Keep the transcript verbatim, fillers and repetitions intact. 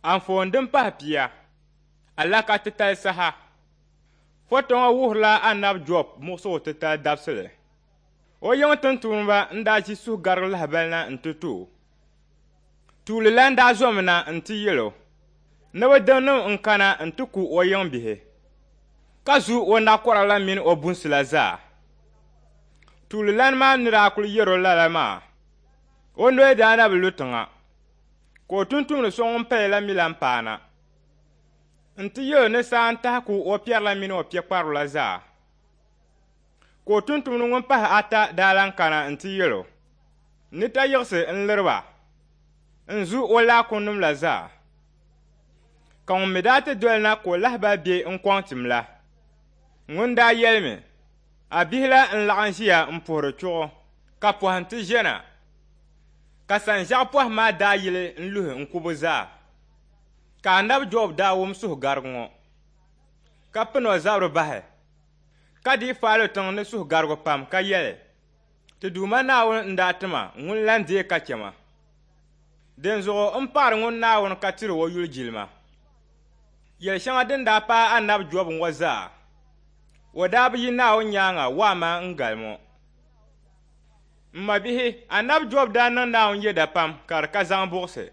Anfooni din pahi pia, Alaka titali saha. Foto ŋɔ wuhirila Anabi Jɔb muɣisigu titali dabisili. O yiŋ tintuuniba n-daa ʒi suhugarigu lahibali na nti ti o. Tuuli la n-daa zomina nti yɛl o ni bɛ dimnim n-kana nti ku o yiŋ bihi, ka zu o nakɔra la mini o bunsi la zaa. Tuuli lana maa ni daa kul yɛr o lala maa, o noli daa na bi lu tiŋa, ka o tumtumdi so ŋun paya la mi lan paana nti yɛl o ni saa n-tahi ku o piɛri la mini o piɛkparigu la zaa. Ka o tumtumdi ŋun pahi ata daa lan kana nti yɛl o ni tayiɣisi n-liri ba n-zu o laakumnim la zaa. Ka ŋun mi daa ti doli na ka o lahibali be n-kɔŋ tim la, ŋun daa yɛlimi, a bihi la n-laɣim ʒiya m-puhiri chuɣu, ka pɔhim ti ʒe na. Ka sanʒiɛɣu pɔhim maa daa yili n-luhi n-ku bɛ zaa. Ka Anabi Jɔb daa wum suhugarigu ŋɔ, ka pini o zabiri bahi, ka dii faali tiŋ ni suhugarigu pam ka yɛli, Ti Duuma Naawuni n-daa ti ma ŋun lan deei ka chɛ ma. Dinzuɣu m paɣiri ŋun Naawuni ka tiri o yuli jilima. Yɛl shɛŋa din daa paai Anabi Jɔb ŋɔ zaa, o daa bi yi Naawuni nyaaŋa waamaa n-galim o. M mabihi, Anabi Jɔb daa niŋ Naawuni yɛda pam ka di ka zaŋ buɣisi.